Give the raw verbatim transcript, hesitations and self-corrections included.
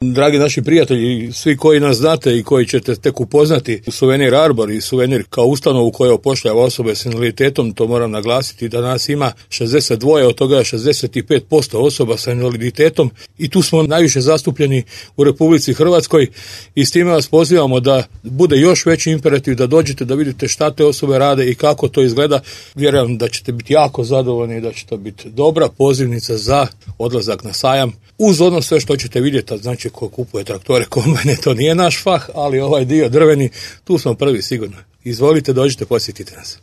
Dragi naši prijatelji, svi koji nas znate i koji ćete tek upoznati Suvenir Arbor i Suvenir kao ustanovu koja upošljava osobe s invaliditetom, to moram naglasiti da nas ima šezdeset dva, od toga šezdeset pet posto osoba sa invaliditetom i tu smo najviše zastupljeni u Republici Hrvatskoj i s time vas pozivamo da bude još veći imperativ, da dođete da vidite šta te osobe rade i kako to izgleda. Vjerujem da ćete biti jako zadovoljni i da će to biti dobra pozivnica za odlazak na sajam. Uz ono sve što ćete vidjeti, znači ko kupuje traktore, kombajne, to nije naš fah, ali ovaj dio drveni, tu smo prvi sigurno. Izvolite, dođite, posjetite nas.